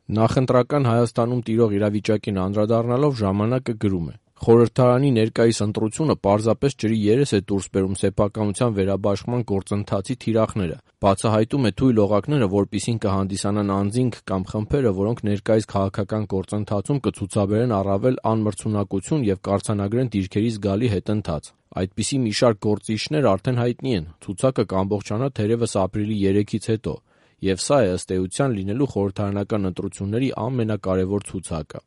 Նախընտրական Հայաստանում տիրող իրավիճակին անդրադառնալով ժամանակը գրում է. «Խորհրդարանի ներկայիս ընտրությունը պարզապես ջրի երես է դուրս բերում սեփականության վերաբաշխման գործընթացի թիրախները, բացահայտում է թույլ օղակները, որպիսին կհանդիսանան անձինք կամ խմբերը, որոնք ներկայիս քաղաքական գործընթացում կցուցաբերեն առավել անմրցունակություն և կարձանագրեն դիրքերի զգալի հետընթաց։ Այդպիսի մի շարք գործիչներ արդեն հայտնի են, ցուցակը կամբողջանա թերևս ապրիլի 3-ից հետո, և սա է ըստ էության լինելու խորհրդարանական ընտրությունների ամենակարևոր ցուցակը»։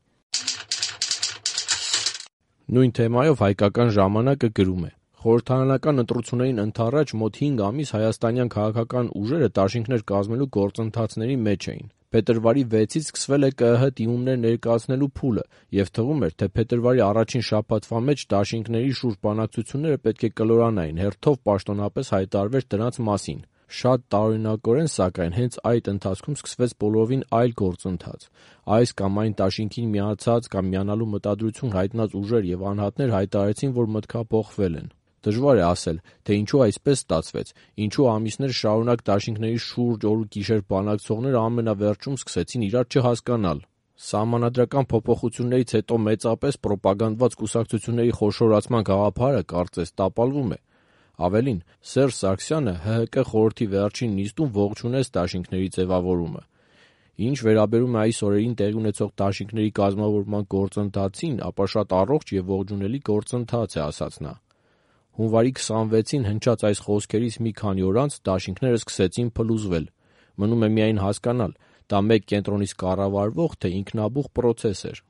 Նույն թեմայով «Հայկական ժամանակ»-ը գրում է. «Խորհրդարանական ընտրություններին ընդառաջ մոտ 5 ամիս հայաստանյան քաղաքական ուժերը դաշինքներ կազմելու գործընթացների մեջ էին։ Փետրվարի 6-ից սկսվել է ԿԸՀ դիմումներ ներկայացնելու փուլը, և թվում էր, թե փետրվարի առաջին շաբաթվա մեջ դաշինքների շուրջ բանակցությունները պետք է կլորանային, հերթով պաշտոնապես հայտարարվեր դրանց մասին։ Շատ տարօրինակորեն, սակայն, հենց այդ ընթացքում սկսվեց բոլորովին այլ գործընթաց։ Այս կամ այն դաշինքին միացած կամ միանալու մտադրություն հայտնած ուժեր և անհատներ հայտարարեցին, որ մտքափոխվել են։ Դժվար է ասել, թե ինչու այսպես ստացվեց, ինչու ամիսներ շարունակ դաշինքների շուրջ օր ու գիշեր բանակցողները ամենավերջում սկսեցին իրար չհասկանալ։ Սահմանադրական փոփոխություններից հետո մեծապես պրոպագանդված կուսակցությունների խոշորացման գաղափարը, կարծես, տապալվում է։ Ավելին, Սերժ Սարգսյանը ՀՀԿ խորհրդի վերջին նիստում ողջունեց դաշինքների ձևավորումը։ Ինչ վերաբերում է այս օրերին տեղի ունեցող դաշինքների կազմավորման գործընթացին, ապա շատ առողջ և ողջունելի գործընթաց է, ասաց նա։ Հունվարի 26-ին հնչած այս խոսքերից մի քանի օր անց դաշինքները սկսեցին փլուզվել։ Մնում է միայն հասկանալ՝ դա մեկ կենտրոնից կառավարվող, թե ինքնաբուխ պրոցես էր։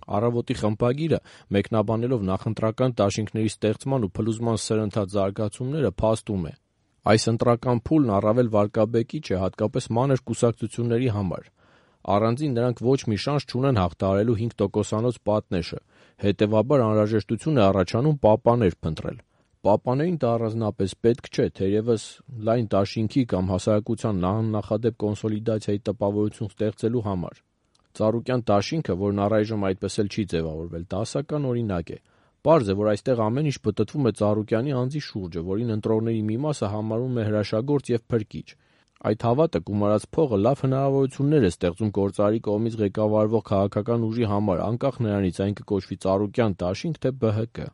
Առավոտի խմբագիրը, մեկնաբանելով նախընտրական դաշինքների ստեղծման ու փլուզման սրընթաց զարգացումները, փաստում է. «Այս ընտրական փուլն առավել վարկաբեկիչ է հատկապես մանր կուսակցությունների համար։ Առանձին նրանք ոչ մի շանս չունեն հաղթահարելու 5%-անոց պատնեշը, հետևաբար անհրաժեշտություն է առաջանում պապաներ փնտրել։ Պապաներին դա առանձնապես պետք չէ, թերևս լայն դաշինքի կամ հասարակության աննախադեպ կոնսոլիդացիայի տպավորություն ստեղծելու համար։ Ծառուկյան դաշինքը, որն առայժմ այդպես էլ չի ձևավորվել, դասական օրինակ է։ Պարզ է, որ այստեղ ամեն ինչ պտտվում է Ծառուկյանի անձի շուրջը, որին ընտրողների մի մասը համարում է հրաշագործ և փրկիչ։ Այդ հավատը գումարած փողը լավ հնարավորություններ է ստեղծում գործարարի կողմից ղեկավարվող քաղաքական ուժի համար, անկախ նրանից այն կկոչվի Ծառուկյան դաշինք, թե ԲՀԿ։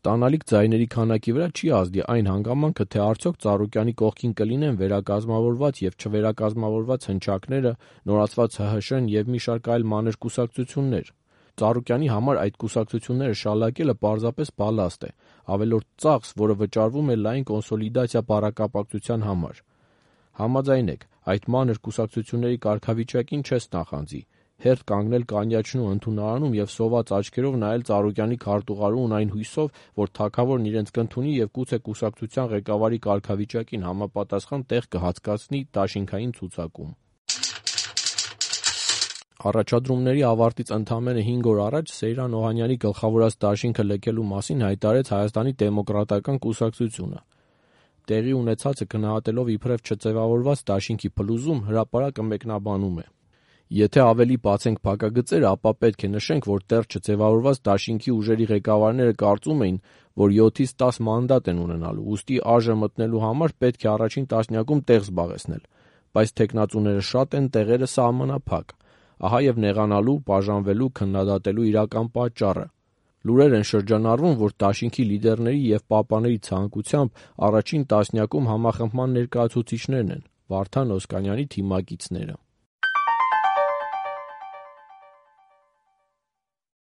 Ստանալիք ձայների քանակի վրա չի ազդի այն հանգամանքը, թե արդյոք Ծառուկյանի կողքին կլինեն վերակազմավորված և չվերակազմավորված հնչակները, նորացված ՀՀՇ-ն և մի շարք այլ մանր կուսակցություններ։ Ծառուկյանի համար այդ կուսակցությունները շալակելը պարզապես բալաստ է, ավելորդ ծախս, որը վճարվում է լայն կոնսոլիդացիա բառակապակցության համար։ Համաձայն եք, այդ մանր կուսակցությունների կարգավիճակին չես նախանձի, հերթ կանգնել կանյաչնու ընդունարանում և սոված աչքերով նայել Ծառուկյանի քարտուղարուհուն այն հույսով, որ թագավորն իրենց կընդունի և գուցե կուսակցության ղեկավարի կարգավիճակին համապատասխան տեղ կհատկացնի դաշինքային ցուցակում»։ Առաջադրումների ավարտից ընդամենը 5 օր առաջ Սեյրան Օհանյանի գլխավորած դաշինքը լքելու մասին հայտարարեց Հայաստանի դեմոկրատական կուսակցությունը։ Տեղի ունեցածը գնահատելով իբրև չձևավորված դաշինքի փլուզում, հրապարակը մեկնաբանում է. «Եթե ավելի բացենք փակագծերը, ապա պետք է նշենք, որ դեռ չձևավորված դաշինքի ուժերի ղեկավարները կարծում էին, որ 7-ից 10 մանդատ են ունենալու, ուստի ԱԺ մտնելու համար պետք է առաջին տասնյակում տեղ զբաղեցնել, բայց թեկնածուները շատ են, տեղերը սահմանափակ։ Ահա և նեղանալու, բաժանվելու, քննադատելու իրական պատճառը։ Լուրեր են շրջանառվում, որ դաշինքի լիդերների և պապաների ցանկությամբ առաջին տասնյակում համախմբման ներկայացուցիչներն են՝ Վարդան Օսկանյանի թիմակիցները»։